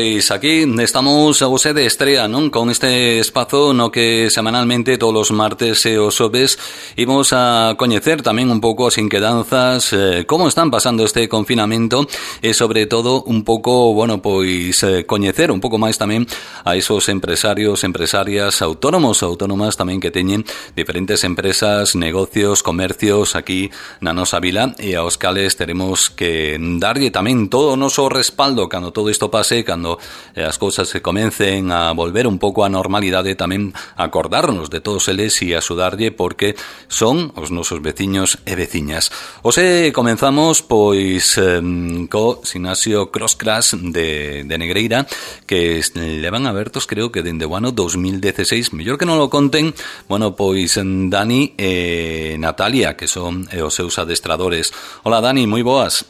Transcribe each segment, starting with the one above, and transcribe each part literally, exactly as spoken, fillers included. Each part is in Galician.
Pois aquí estamos a vose de estrea, non? Con este espazo no que semanalmente todos os martes e os xoves imos a coñecer tamén un pouco as inquedanzas, eh, como están pasando este confinamento e sobre todo un pouco, bueno, pois eh, coñecer un pouco máis tamén a esos empresarios, empresarias, autónomos, autónomas tamén que teñen diferentes empresas, negocios, comercios aquí na nosa vila e aos cales teremos que darlle tamén todo o noso respaldo cando todo isto pase, cando eh, as cousas se comencen a volver un pouco á normalidade, tamén acordarnos de todos eles e axudarlle porque son os nosos veciños e veciñas. Ose comenzamos pois eh, co Sinasio Crosscrash de, de Negreira, que levan abertos creo que dende o ano dos mil dieciséis, mellor que non lo conten, bueno, pois Dani e Natalia, que son eh, os seus adestradores. Hola Dani, moi boas.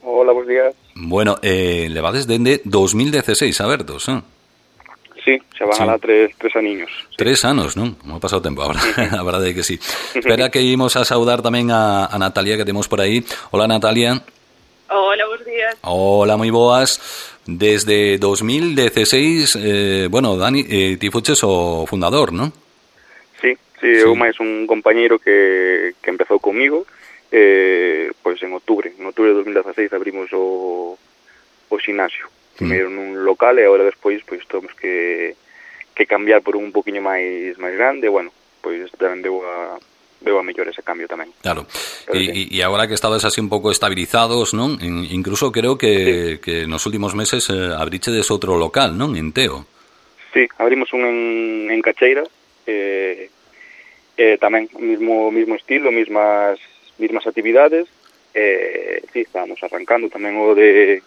Hola, buenos días. Bueno, eh, levades dende dos mil dieciséis abertos, eh? Sí, xa van sí. alá tres, tres aniños. Sí. Tres anos, non? Non ha pasado tempo agora, a verdade é que sí. Espera que imos a saudar tamén a, a Natalia que temos por aí. Hola Natalia. Hola, buenos días. Hola, moi boas. Desde dos mil dieciséis, eh, bueno, Dani, eh, ti fuches o fundador, non? Sí, sí, sí. Eu máis un compañeiro que, que empezou comigo. Eh, pois en outubro, en outubro de dos mil dieciséis abrimos o, o xinasio, primeiro mm. nun local e agora despois pois temos que, que cambiar por un poquinho máis máis grande, bueno, pois tamén deu a veo a mellor ese cambio tamén. Claro, e, sí. e agora que estabas así un pouco estabilizados, non? Incluso creo que, sí. que nos últimos meses eh, abrichedes outro local, non? En Teo. Sí, abrimos un en, en Cacheira, eh, eh, tamén mismo mismo estilo, mismas mismas actividades, eh, sí, estábamos arrancando tamén o de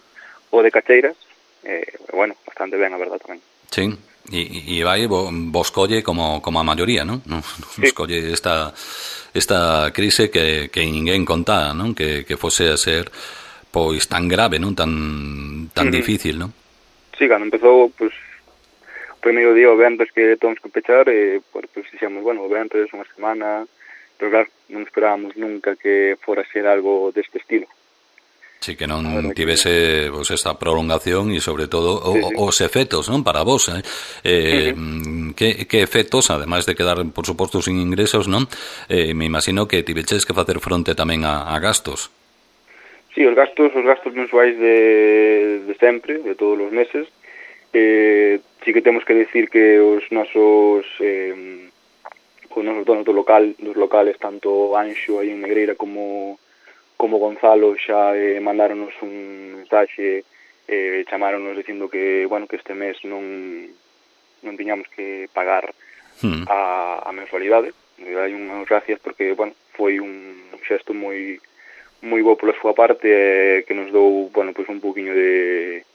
o de Cacheiras, eh, bueno, bastante ben, a verdad, tamén. Sí, e, e vai vos colle como, como a maioría, non? Nos sí. colle esta, esta crise que, que ninguén contaba, non? Que, que fose a ser pois tan grave, non? Tan, tan uh-huh. difícil, non? Sí, cando empezou, pois, o primeiro día o ventres que temos que pechar, eh, pois dixemos, bueno, o ventres, unha semana... pero claro, non esperábamos nunca que fora ser algo deste estilo. Sí, que non tivese pues, esta prolongación e sobre todo o, sí, sí. os efectos, non, para vos, eh? Eh, uh-huh. que, que efectos, ademais de quedar, por suposto, sin ingresos, non? Eh, me imagino que tiveches que facer fronte tamén a, a gastos. Sí, os gastos, os gastos mensuais de, de sempre, de todos os meses. Eh, sí que temos que decir que os nosos... Eh, os nosos donos do local, dos locales, tanto Anxo aí en Negreira como como Gonzalo xa eh, mandáronos un mensaxe, eh, chamáronos dicindo que, bueno, que este mes non non tiñamos que pagar hmm. a, a mensualidade. Hai unhas gracias porque, bueno, foi un xesto moi moi bo pola súa parte eh, que nos dou, bueno, pois un poquinho de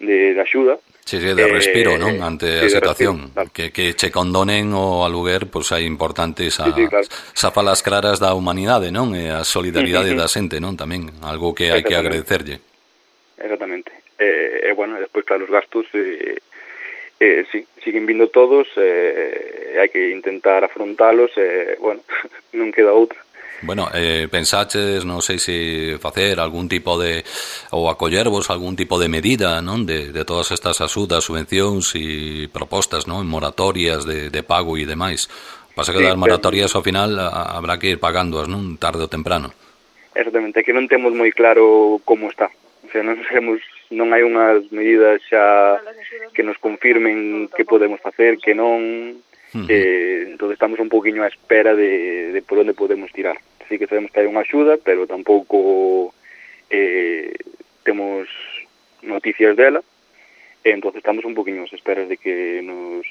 de, de axuda. Sí, sí, de respiro, eh, non? Ante sí, a situación. Respiro, claro. que, que che condonen o aluguer, pois hai importantes a, sí, sí, claro. Zafalas claras da humanidade, non? E a solidaridade da xente, non? Tamén, algo que hai que agradecerlle. Exactamente. E, eh, bueno, despois, claro, os gastos, eh, eh, sí, siguen vindo todos, eh, hai que intentar afrontalos, e, eh, bueno, non queda outra. Bueno, eh, pensaches, non sei se facer algún tipo de, ou acollervos algún tipo de medida, non? De, de todas estas axudas, subvencións e propostas, non? Moratorias de, de pago e demais. Pasa que sí, das moratorias ao final a, habrá que ir pagándoas, non? Tarde ou temprano. Exactamente, que non temos moi claro como está. O sea, non sabemos, non hai unhas medidas xa que nos confirmen que podemos facer, que non... Uh-huh. Eh, entón estamos un poquinho á espera de, de por onde podemos tirar. Así que sabemos que hai unha axuda, pero tampouco eh, temos noticias dela, e entón estamos un poquinho ás esperas de que nos,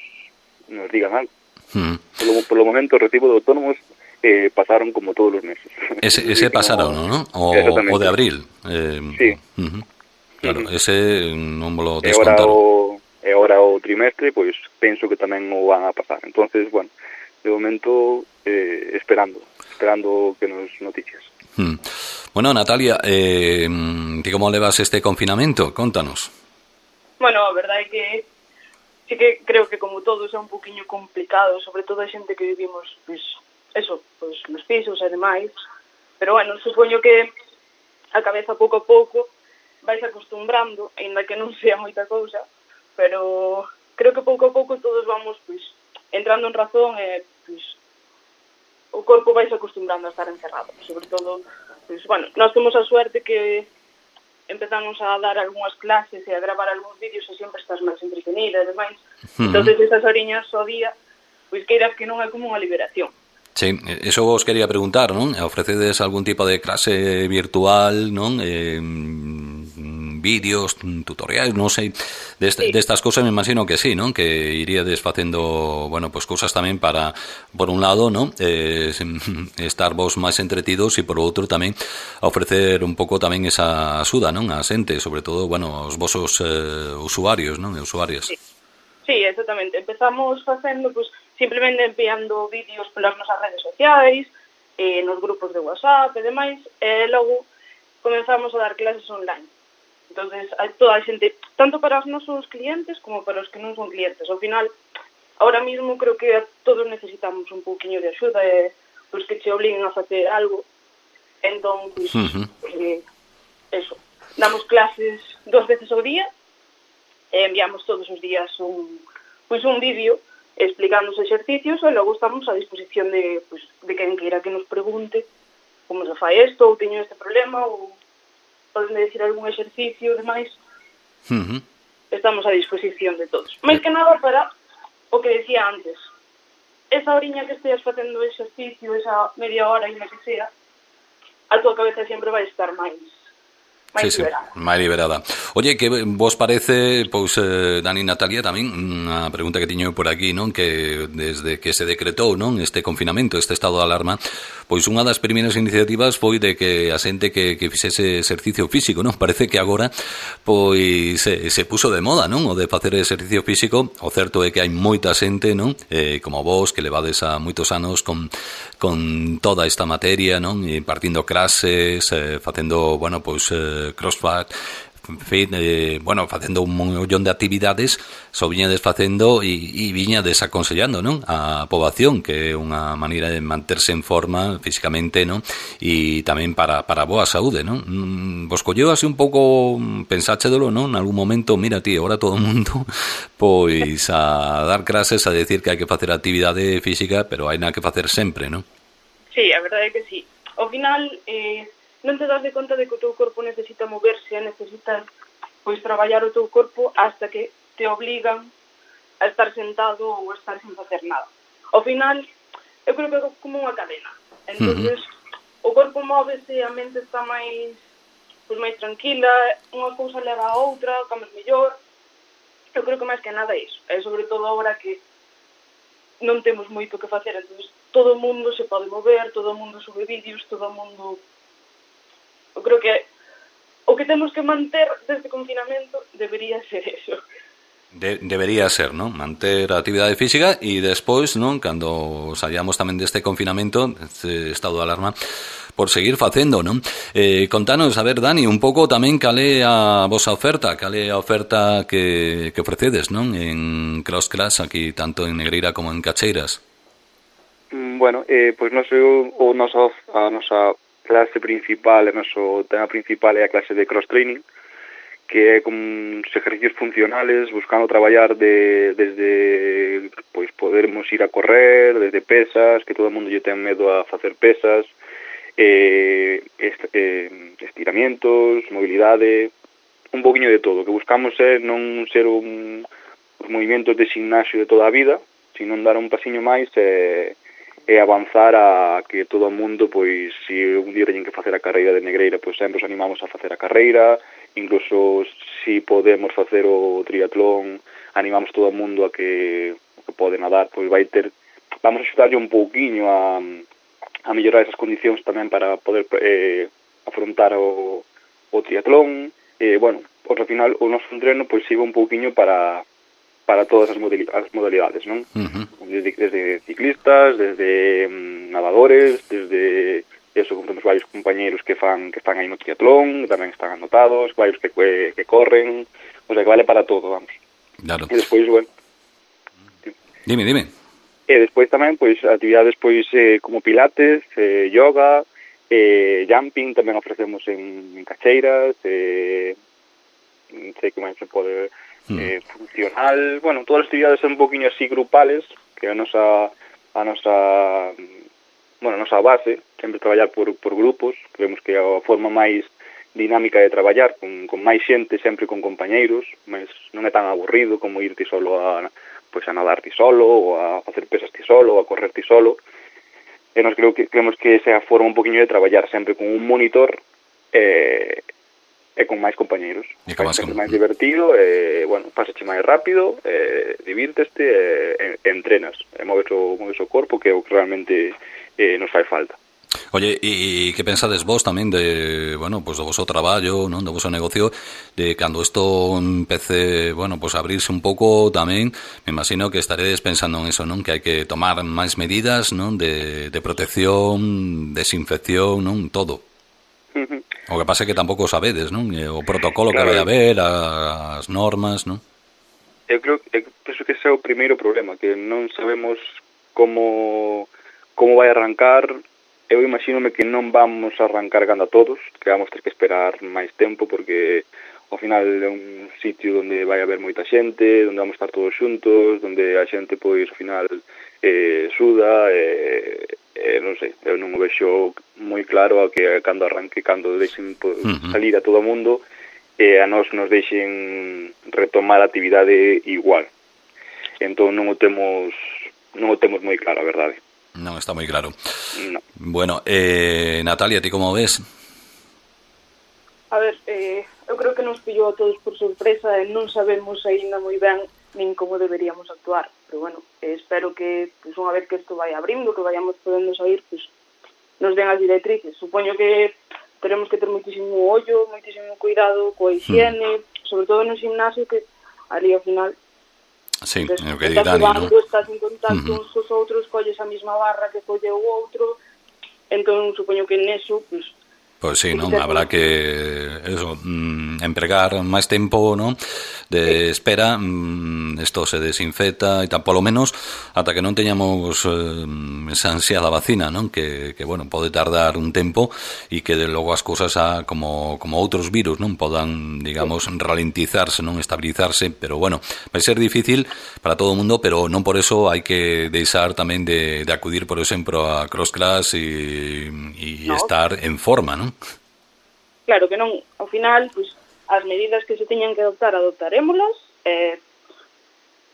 nos digan algo. Uh-huh. Por, lo, por lo momento, o recibo de autónomos eh, pasaron como todos os meses. Ese, ese pasaron, no, ¿no? O, o de abril. Eh, sí. Uh-huh. Claro, uh-huh. ese non me lo descontaron. E agora o trimestre, pois penso que tamén o van a pasar. Entonces, bueno, de momento eh, esperando, esperando que nos noticias. Hmm. Bueno, Natalia, eh, ¿ti como levas este confinamento? Contanos. Bueno, a verdade é que sí que creo que como todos é un poquinho complicado, sobre todo a xente que vivimos, pois, eso, pois nos pisos e demais. Pero bueno, supoño que a cabeza pouco a pouco vai vais acostumbrando, aínda que non sea moita cousa, pero creo que pouco a pouco todos vamos, pois, entrando en razón e, pois, o corpo vais acostumbrando a estar encerrado. Sobre todo, pois, bueno, nós temos a suerte que empezamos a dar algunhas clases e a gravar algúns vídeos e sempre estás máis entretenida e demais. Uh-huh. Entón, esas horiñas ao día, pois queiras que non é como unha liberación. Sí, eso vos quería preguntar, non? Ofrecedes algún tipo de clase virtual, non? Eh, vídeos, tutoriais, non sei, destas sí. Cosas me imagino que sí, non? Que iríades facendo, bueno, pues cousas tamén para, por un lado, non? Eh, estar vos máis entretidos e por outro tamén ofrecer un pouco tamén esa axuda, non? A xente, sobre todo, bueno, os vosos eh, usuarios, non? E usuarias. Sí. Sí, exactamente. Empezamos facendo, pues, simplemente enviando vídeos polas nosas redes sociais, eh, nos grupos de WhatsApp e demais, e logo comenzamos a dar clases online. Entonces, a toda a xente, tanto para os nosos clientes como para os que non son clientes. Ao final, ahora mismo creo que todos necesitamos un pouquiño de axuda e pues, que che obliguen a facer algo. Entón, pues, uh-huh. eh, eso. Damos clases dos veces ao día, e enviamos todos os días un, pois un vídeo explicando os exercicios e logo estamos a disposición de, pois, de quen queira que nos pregunte como se fai isto, ou teño este problema, ou poden decir algún exercicio e demais. Uh-huh. Estamos a disposición de todos. Mais que nada para o que decía antes. Esa horiña que esteas facendo exercicio, esa media hora e na que sea, a tua cabeza sempre vai estar máis máis sí, liberada. Sí, máis liberada. Oye, que vos parece, pois, eh, Dani e Natalia, tamén, unha pregunta que tiño por aquí, non? Que desde que se decretou, non? Este confinamento, este estado de alarma, pois unha das primeiras iniciativas foi de que a xente que, que fixese exercicio físico, non? Parece que agora, pois, se, se puso de moda, non? O de facer exercicio físico. O certo é que hai moita xente, non? Eh, como vos, que levades a moitos anos con, con toda esta materia, non? Impartindo clases, eh, facendo, bueno, pois, eh, crossfit, fit, eh, bueno, facendo un montón de actividades, só viñades facendo e, e viñades aconsellando, non? A poboación, que é unha maneira de manterse en forma físicamente, non? E tamén para, para a boa saúde, non? Vos colleu así un pouco, pensáchedelo, non? En algún momento, mira, ti, ahora todo o mundo pois a dar clases, a decir que hai que facer actividade física, pero hai nada que facer sempre, non? Sí, a verdade é que sí. Ao final, eh, non te das de conta de que o teu corpo necesita moverse, necesita pois traballar o teu corpo hasta que te obligan a estar sentado ou a estar sin facer nada. Ao final, eu creo que é como unha cadena. Entonces, uh-huh. o corpo móvese, a mente está máis pois máis tranquila, unha cousa leva a outra, comes mellor. Eu creo que máis que nada é iso. É sobre todo agora que non temos moito que facer, entonces todo o mundo se pode mover, todo o mundo sube vídeos, todo o mundo... Eu creo que o que temos que manter deste confinamento debería ser eso. De, debería ser, non? Manter a actividade física e despois, non? Cando saíamos tamén deste confinamento, este estado de alarma, por seguir facendo, non? Eh, contanos, a ver, Dani, un pouco tamén cal é a vosa oferta, cal é a oferta que, que ofrecedes, non? En Cross Class, aquí, tanto en Negreira como en Cacheiras. Bueno, eh, pois non sei o nosa, a nosa clase principal, o noso tema principal é a clase de cross training, que é con ejercicios funcionales, buscando traballar de, desde, pois, podermos ir a correr, desde pesas, que todo o mundo lle ten medo a facer pesas, eh, est, eh, estiramientos, mobilidade, un poquinho de todo. O que buscamos é non ser un, os movimentos de gimnasio de toda a vida, sino dar un pasiño máis e... e avanzar a que todo o mundo, pois, se un día teñen que facer a carreira de Negreira, pois sempre os animamos a facer a carreira, incluso se podemos facer o triatlón, animamos todo o mundo a que, que pode nadar, pois vai ter, vamos a axudarlle un pouquiño a, a mellorar esas condicións tamén para poder eh, afrontar o, o triatlón, e, bueno, pois, ao final, o noso entreno, pois, siga un pouquiño para... para todas as modalidades, non? Uh-huh. Desde, desde ciclistas, desde um, nadadores, desde eso, temos varios compañeros que fan que fan aí no triatlón, que tamén están anotados, varios que, que, que corren, o sea, que vale para todo, vamos. Claro. E despois, bueno... Dime, dime. E despois tamén, pois, actividades, pois, eh, como pilates, eh, yoga, eh, jumping, tamén ofrecemos en, en Cacheiras, eh, máis se pode eh, funcional, bueno, todas as actividades son un poquinho así grupales, que a nosa a nosa bueno, a nosa base, sempre traballar por, por grupos, creemos que é a forma máis dinámica de traballar, con, con máis xente, sempre con compañeiros, mas non é tan aburrido como ir ti solo a, pois, a nadar ti solo, ou a facer pesas ti solo, ou a correr ti solo. E nos creo que, creemos que esa é a forma un poquinho de traballar, sempre con un monitor e, e con máis compañeiros. E con máis, sempre máis divertido, e, bueno, pasache máis rápido, e, divírteste e, e entrenas, e moves o, moves o corpo, que é o que realmente eh, nos fai falta. Oye, e que pensades vos tamén de, bueno, pues do voso traballo, non, do voso negocio, de cando isto empece, bueno, pues a abrirse un pouco tamén, me imagino que estaredes pensando en eso, non, que hai que tomar máis medidas, non, de, de protección, desinfección, non, todo. Uh-huh. O que pasa é que tampouco sabedes, non, o protocolo claro, que vai haber, as normas, non? Eu creo que penso que ese é o primeiro problema, que non sabemos como como vai arrancar. Eu imagínome que non vamos a arrancar gando a todos, que vamos ter que esperar máis tempo, porque ao final é un sitio onde vai haber moita xente, onde vamos estar todos xuntos, onde a xente, pois, ao final eh, suda, e eh, eh, non sei, eu non o vexo moi claro a que cando arranque, cando deixen pois, uh-huh. salir a todo o mundo, e eh, a nós nos deixen retomar a actividade igual. Entón non o temos non o temos moi claro, a verdade. Non está moi claro. No. Bueno, eh, Natalia, ti como ves? A ver, eh, eu creo que nos pillou a todos por sorpresa e non sabemos aínda moi ben nin como deberíamos actuar. Pero bueno, eh, espero que, pues, unha vez que isto vai abrindo, que vayamos podendo sair, pues, nos den as directrices. Supoño que teremos que ter moitísimo ollo, moitísimo cuidado coa higiene, hmm. sobre todo no gimnasio, que ali ao final sí, entonces, é o que di Dani, non? Estás en contacto uh-huh. uns cos outros, colles a mesma barra que colle o outro, entón supoño que neso, pues, Pois sí, non, habrá que eso, mm, empregar máis tempo, non, de espera, mm, isto se desinfecta e tal, polo menos ata que non teñamos eh, esa ansiada vacina, non, que, que bueno, pode tardar un tempo e que de logo as cousas a, como, como outros virus, non, podan, digamos, ralentizarse, non, estabilizarse, pero bueno, vai ser difícil para todo o mundo, pero non por eso hai que deixar tamén de, de acudir, por exemplo, a cross-class e, e no. estar en forma, non? Claro que non, ao final, pois, as medidas que se teñan que adoptar, adoptarémolas, e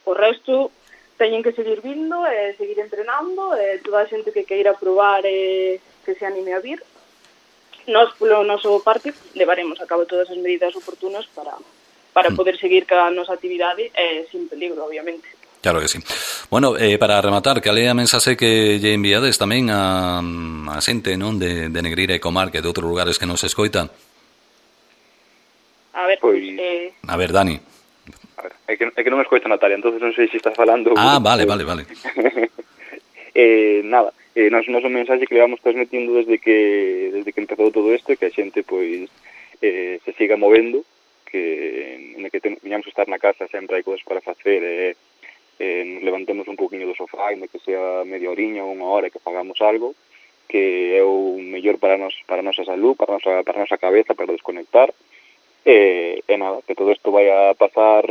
o resto teñen que seguir vindo e seguir entrenando, e toda a xente que queira probar e que se anime a vir. Nós, polo noso parte, levaremos a cabo todas as medidas oportunas para, para mm. poder seguir cada nosa actividade e sin peligro, obviamente. Claro que sí. Bueno, eh, para rematar, que alea mensaxe que lle enviades tamén a, a xente, non, de, de Negreira e Comarca e de outros lugares que nos escoitan. A ver, pois... eh... A ver, Dani. A ver, é que, é que non me escoita Natalia, entonces non sei se estás falando... Ah, vale, vale, vale. eh, nada, eh, nos, nos un mensaxe que le vamos transmitindo desde que desde que empezou todo isto, que a xente, pois, eh, se siga movendo, que en que teñamos que estar na casa sempre hai cousas para facer, e... Eh, eh, nos levantemos un poquinho do sofá, e que sea media oriña ou unha hora que fagamos algo, que é o mellor para nos, para a nosa salud, para a nosa, para a nosa cabeza, para desconectar, e, e nada, que todo isto vai a pasar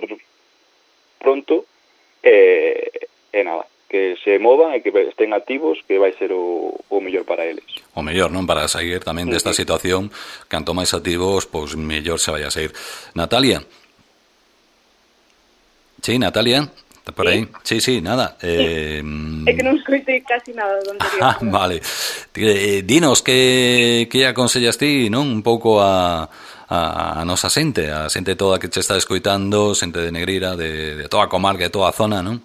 pronto, e, e nada, que se movan e que estén activos, que vai ser o, o mellor para eles. O mellor, non? Para sair tamén desta situación, canto máis activos, pois mellor se vai a sair. Natalia? Sí, Natalia? Está por aí? Sí, sí, nada. Eh, é que non escoitei casi nada do anterior. Ah, vale. Eh, dinos, que, que aconsellas ti, non? Un pouco a, a, a nosa xente, a xente toda que che está escoitando, xente de Negreira, de, de toda a comarca, de toda a zona, non?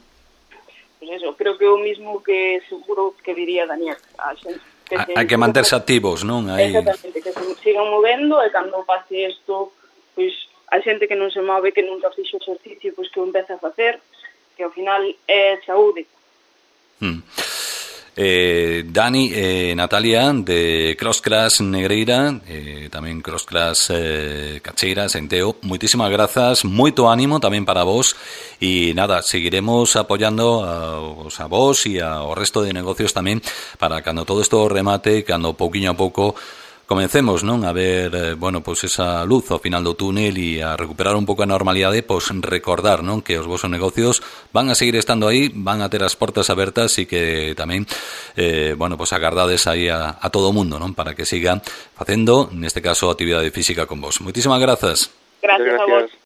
Pues eso, creo que o mismo que seguro que diría Daniel. A xente que hai que manterse activos, non? Aí... Exactamente, que se sigan movendo e cando pase isto, pois a xente que non se move, que nunca fixo exercicio, pois que o empece a facer, que ao final é saúde. Hmm. Eh, Dani, eh, Natalia, de Crossclass Negreira, eh, tamén Crossclass eh, Cacheira, Senteo, moitísimas grazas, moito ánimo tamén para vos, e nada, seguiremos apoyando a, a vos e ao resto de negocios tamén, para cando todo isto remate, cando pouquiño a pouco comecemos, non, a ver, eh, bueno, pois esa luz ao final do túnel e a recuperar un pouco a normalidade, pois recordar, non, que os vosos negocios van a seguir estando aí, van a ter as portas abertas e que tamén, eh, bueno, pois agardades aí a, a todo o mundo, non, para que siga facendo, neste caso, actividade física con vos. Moitísimas grazas. Gracias a vos.